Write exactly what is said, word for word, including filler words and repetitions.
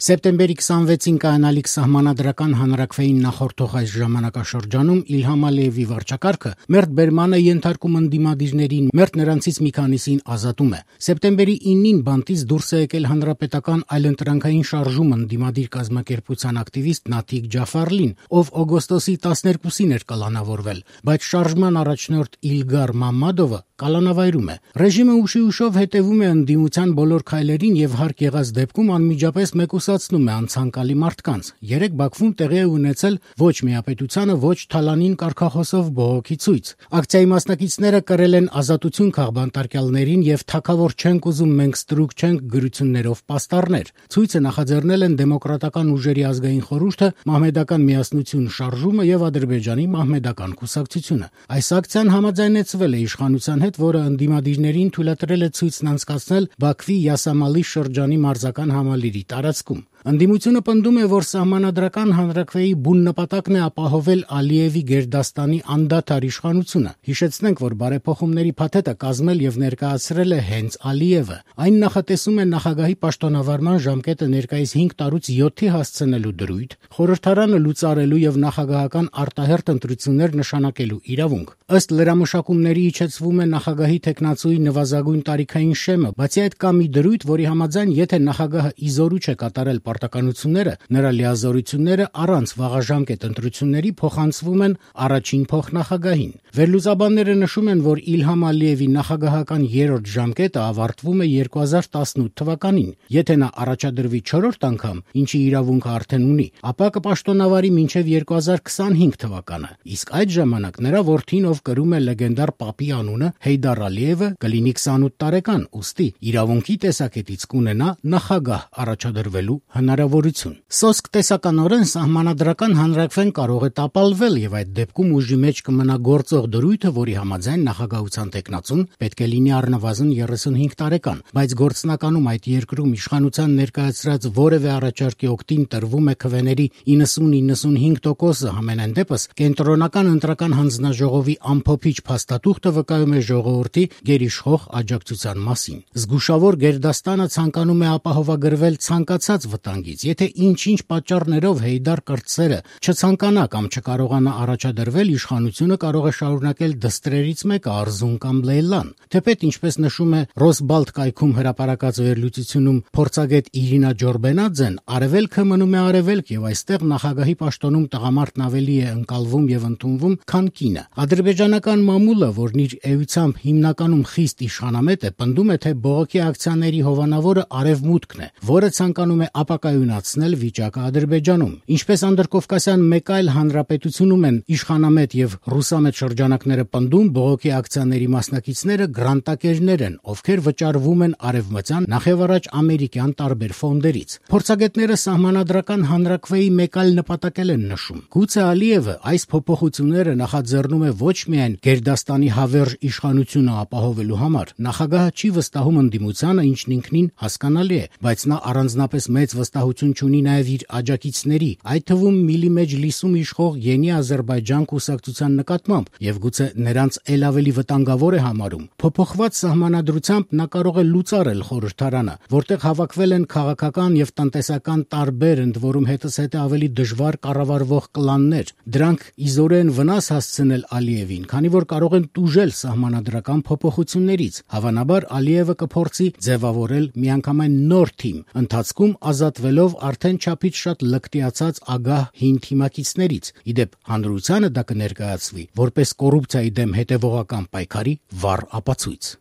Սեպտեմբերի քսանվեցին կայանալիք սահմանադրական հանրաքվեին նախորդող այս ժամանակաշրջանում Իլհամ Ալիևի վարչակարգը մերթ բերման է ենթարկում ընդդիմադիրներին, մերթ նրանցից մի քանիսին ազատում է։ Սեպտեմբերի իննին բանտից դուրս է եկել հանրապետական այլընտրանքային շարժում ընդդիմադիր կազմակերպության ակտիվիստ Նաթիկ Ջաֆարլին, ով օգոստոսի տասներկուսին էր կալանավորվել, բայց շարժման առաջնորդ Իլգար Մամմադովը կալանավայրում է։ Ռեժիմը ուշի ուշով հետևում է ընդդիմության բոլոր քայլերին եւ հարկ եղած դեպքում անմիջապես մեկուսացնում է անցանկալի մարդկանց։ Երեք Բաքվում տեղի է ունեցել ոչ միապետությանը, ոչ թալանին կարգախոսով բողոքի ցույց։ Ակցիայի մասնակիցները կրել են ազատություն քաղբանտարկյալներին եւ թագավոր չենք ուզում, մենք ստրուկ չենք գրություններով պաստառներ։ Ցույցը նախաձեռնել են Դեմոկրատական ուժերի ազգային խորհուրդը, Մահմեդական միասնություն շարժումը եւ Ադրբեջանի Մահմեդական կուսակցությունը։ Այս ակցիան համաձայնեցվել է իշխանության հետ, որը ընդդիմադիրներին թույլատրել է ցույցն անցկացնել Բաքվի Յասամալի շրջանի մարզական համալիրի տարածքում։ Ընդդիմությունը պնդում է, որ սահմանադրական հանրաքվեի բուն նպատակն է ապահովել Ալիևի Գերդաստանի անդադար իշխանությունը։ Հիշեցնենք, որ բարեփոխումների փաթեթը կազմել եւ ներկայացրել է հենց Ալիևը։ Այն նախատեսում է նախագահի պաշտոնավարման ժամկետը ներկայիս հինգ տարուց յոթի հասցնելու դրույթ, խորհրդարանը լուծարելու եւ նախագահական արտահերթ ընտրություններ նշանակելու իրավունք։ Ըստ լրամշակումների իջեցվում է նախագահի թեկնածուի նվազագույն տարիքային շեմը, բացի այդ կա մի դրույթ, որի համաձայն եթե նախագահը իզորու չէ կատարել պարտականությունները, նրա լիազորությունները առանց վաղաժամկետ ընտրությունների փոխանցվում են առաջին փոխնախագահին։ Վերլուծաբանները նշում են, որ Իլհամ Ալիևի նախագահական երրորդ ժամկետը ավարտվում է երկու հազար տասնութ թվականին։ Եթե նա առաջադրվի չորրորդ անգամ, ինչի իրավունքը արդեն ունի, ապա կպաշտոնավարի մինչև երկու հազար քսանհինգ թվականը։ Իսկ այդ ժամանակ նրա որդին, ով կրում է լեգենդար պապի անունը, Հեյդար Ալիևը, կլինի քսանութ տարեկան, ուստի իրավունքի տեսակետից կունենա նախագահ առաջադրվելու հնարավորություն։ Սոսկ տեսականորեն սահմանադրական հանրաքվեն կարող է տապալվել եւ այդ դեպքում ուժի մեջ կմնա գործող դրույթը, որի համաձայն նախագահության տեխնացուն պետք է լինի առնվազն երեսունհինգ տարեկան, բայց գործնականում այդ երկրում իշխանության ներկայացրած որևէ առաջարկի օգտին տրվում է քվեների իննսուն-իննսունհինգ տոկոսը, համենայն դեպս կենտրոնական ընտրական հանձնաժողովի ամփոփիչ փաստաթուղթը վկայում է ժողովրդի գերիշխող աջակցության մասին։ Զգուշավոր Գերդաստանը ցանկանում է ապահովագրվել ցանկացած վտանգից։ Եթե ինչ-ինչ պատճառներով Հեյդար կրտսերը չցանկանա կամ չկարողանա առաջադրվել, իշխանությունը կարող է շարունակել դստրերից մեկը Արզուն կամ Լեյլան։ Թեպետ, ինչպես նշում է Ռոսբալտ կայքում հրապարակած վերլուծությունում փորձագետ Իրինա Ջորբենաձեն, արևելքը մնում է արևելք եւ այստեղ նախագահի պաշտոնում տղամարդն ավելի է ընկալվում եւ ընդունվում, քան կինը։ Ադրբեջանական մամուլը, որն իր էությամբ հիմնականում խիստ իշխանամետ է, պնդում է, թե բողոքի ակցիաների հովանավորը արևմուտքն է, որը ցանկանում է ապակայունացնել վիճակը Ադրբեջանում։ Ինչպես անդրկովկասյան մեկ այլ հանրապետությունում են իշխանամետ եւ ռուսամետ շրջանակները պնդում, բողոքի ակցիաների մասնակիցները գրանտակերներ են, ովքեր վճարվում են արևմտյան, նախևառաջ ամերիկյան տարբեր ֆոնդերից։ Փորձագետները սահմանադրական հանրաքվեի մեկ այլ նպատակ են նշում։ Գուցե Ալիևը այս փոփոխությունները նախաձեռնում է ոչ միայն Գերդաստանի հավերժ իշխանությունը ապահովելու համար, նախագահը չի վստահում ընդդիմությանը, ինչն ինքնին հասկանալի է, բայց նա առանձնապես մեծ վստահություն չունի նաև իր աջակիցների, այդ թվում Միլի Մեջլիսում իշխող Յենի Ադրբեջան կուսակցության նկատմամբ եւ գուցե նրանց ել ավելի վտանգավոր է համարում։ Փոփոխված սահմանադրությամբ նա կարող է լուծարել խորհրդարանը, որտեղ հավաքվել են քաղաքական եւ տնտեսական տարբեր, ընդ որում հետզհետե ավելի դժվար կառավարվող կլաններ։ Դրանք իզորեն վնաս հասցնել Ալիևին, քանի որ կարող են տուժել սահմանադրական փոփոխություններից։ Հավանաբար Ալիևը կփորձի ձևավորել միանգամայն նոր թիմ, ընթացքում ազատվելով արդեն չափից շատ լկտիացած ագահ հին թիմակիցներից։ Իդեպ հանրությանը դա կներկայացվի որպես կոռուպցիայի դեմ հետևողական պայքարի վառ ապացույց։